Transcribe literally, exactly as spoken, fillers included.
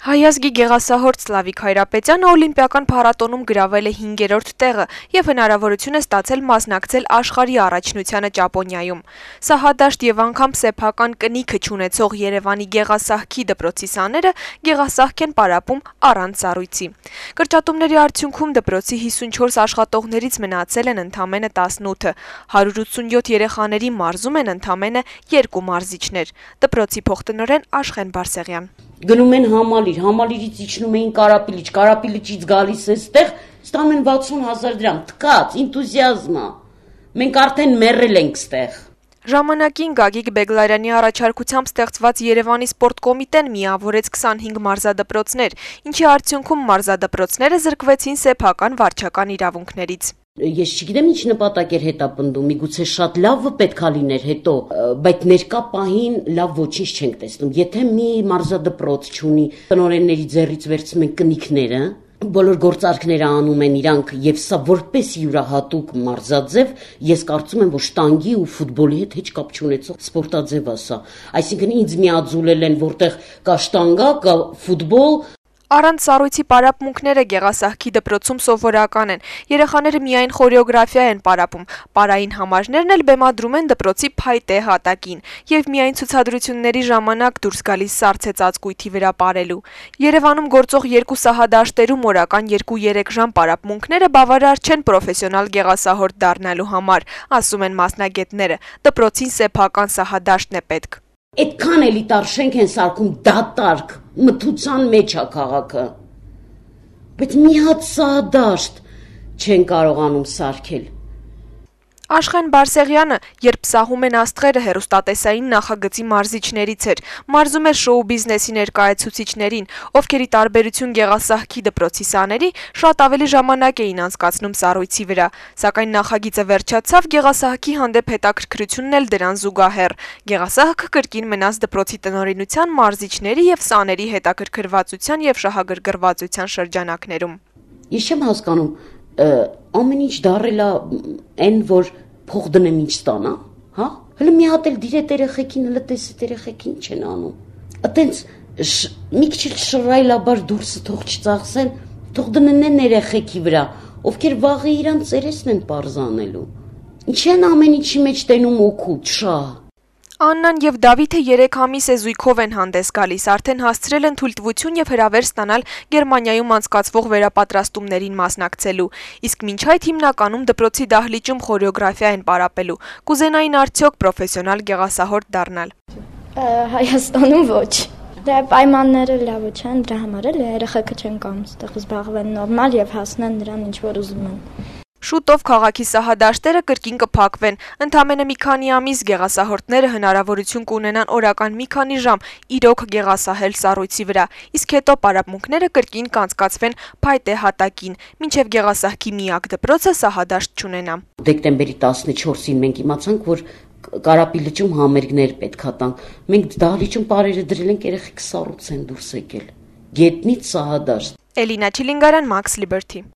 Հայազգի գեղասահորդ Սլավիկ Հայրապետյանը օլիմպիական փառատոնում գրավել է հինգերորդ տեղը եւ հնարավորություն է ստացել մասնակցել աշխարհի առաջնությանը Ճապոնիայում։ Սահադաշտ եւ անգամ սեփական կնիքը չունեցող Երևանի գեղասահքի դպրոցի սաները գեղասահք են պարապում առանց սառույցի։ Կրճատումների արդյունքում դպրոցի հիսունչորս աշխատողներից մնացել են ընդամենը տասնութը, հարյուր ութսունյոթ երեխաների մարզում են ընդամենը երկու մարզիչներ։ Դպրոցի փոխտնօրեն Աշխեն Բարսեղյան. Գնում են համալիր, համալիրից իջնում էին Կարապիլիչ, Կարապիլիչից գալիս է ստեղ, ստանում են վաթսուն հազար դրամ, թքած, ինտուզիազմա, մենք արդեն մեռել ենք ստեղ։ Ժամանակին Գագիկ Բեգլարյանի առաջարկությամբ ստեղծված Երևանի սպորտ կոմիտեն միավորեց քսանհինգ մարզադպրոցներ, ինչի արդյունքում մարզադպրոցները զրկվեցին սեփական վարչական իրավունքներից։ Ես չգիտեմ ինչ նպատակ էր հետապնդում, միգուցե շատ լավը պետքա լիներ հետո, բայց ներկա պահին լավ ոչինչ չենք տեսնում։ Եթե մի մարզադպրոց չունի, տնօրենների ձեռից վերցնում են կնիքները, բոլոր գործարքները անում են իրանք եւ սա որպես յուրահատուկ մարզաձև, ես կարծում եմ, որ շտանգի ու ֆուտբոլի հետ հեչ կապ չունեցող սպորտաձև է սա։ Այսինքն ինձ միաձուլել են, որտեղ կա շտանգա, կա ֆուտբոլ։ Առանց սառույցի պարապմունքները գեղասահքի դպրոցում սովորական են։ Երեխաները միայն խորեոգրաֆիա են պարապում, պարային համարներն էլ բեմադրում են դպրոցի փայտե հատակին եւ միայն ցուցադրությունների ժամանակ դուրս գալիս սառցե ծածկույթի վրա պարելու։ Երևանում գործող երկու սահադաշտերում օրական երկու-երեք ժամ պարապմունքները բավարար չեն պրոֆեսիոնալ գեղասահորդ դառնալու համար, ասում են մասնագետները։ Դպրոցին սեփական սահադաշտն է պետք։ Այդքան էլի տար շենք են սարքում դատարկ, մթության մեջ է քաղաքը, բայց մի հատ սահադաշտ չեն կարողանում սարքել։ Աշխեն Բարսեղյանը, երբ սահում են աստղերը, հեռուստատեսային նախագծի մարզիչներից էր, մարզում էր շոու բիզնեսի ներկայացուցիչներին, ովքեր ի տարբերություն գեղասահքի դպրոցի սաների շատ ավելի ժամանակ էին անցկացնում սառույցի վրա, սակայն նախագիծը վերջացավ, գեղասահքի հանդեպ հետաքրքրությունն էլ դրան զուգահեռ։ Գեղասահքը կրկին մնաց դպրոցի տնօրինության, մարզիչների եւ սաների հետաքրքրվածության եւ շահագրգռվածության շրջանակներում։ Ես չեմ հասկանում, ամեն ինչ դարել է այն, որ փող դնեմ ինչ ստանա, հա? Հələ մի հատ էլ դիրետ երեխեքին, հələ տեսետ երեխեքին չեն անում։ Այտենց մի քիչ շռայլաբար դուրսը թող չծախսեն, թող դնեն երեխեքի վրա, ովքեր վաղը իրանց ծերեսն են պարզանելու։ Ինչ են ամեն ինչի մեջ տենում օգուտ, շահ։ Աննան եւ Դավիթը երեք ամիս է զույգով են հանդես գալիս, արդեն հասցրել են թույլտվություն եւ հրավեր ստանալ Գերմանիայում անցկացվող վերապատրաստումներին մասնակցելու, իսկ մինչ այդ հիմնականում դպրոցի դահլիճում խորեոգրաֆիա են պարապելու։ Կուզենային արդյոք պրոֆեսիոնալ գեղասահորդ դառնալ։ Հայաստանում ոչ։ Դե պայմանները լավ չեն, դրա համար էլ երեխեքը չեն կամ այդտեղ զբաղվեն նորմալ եւ հասնեն նրան ինչ որ ուզում են։ Շուտով քաղաքի սահադաշտերը կրկին կփակվեն, ընդամենը մի քանի ամիս գեղասահորդները հնարավորություն կունենան օրական մի քանի ժամ իրոք գեղասահել սառույցի վրա, իսկ հետո պարապմունքները կրկին կանցկացվեն փայտե հատակին, մինչև գեղասահքի միակ դպրոցը սահադաշտ չունենա։ Դեկտեմբերի տասնչորսին մենք իմացանք, որ Կարապիլիչում համերգներ պետքա տանք։ Մենք դահլիճում պարերը դրել ենք, երեխեք սառույց են դուրս եկել։ Գետնից սահադաշտ։ Էլինա Չիլինգարյան, Max Liberty։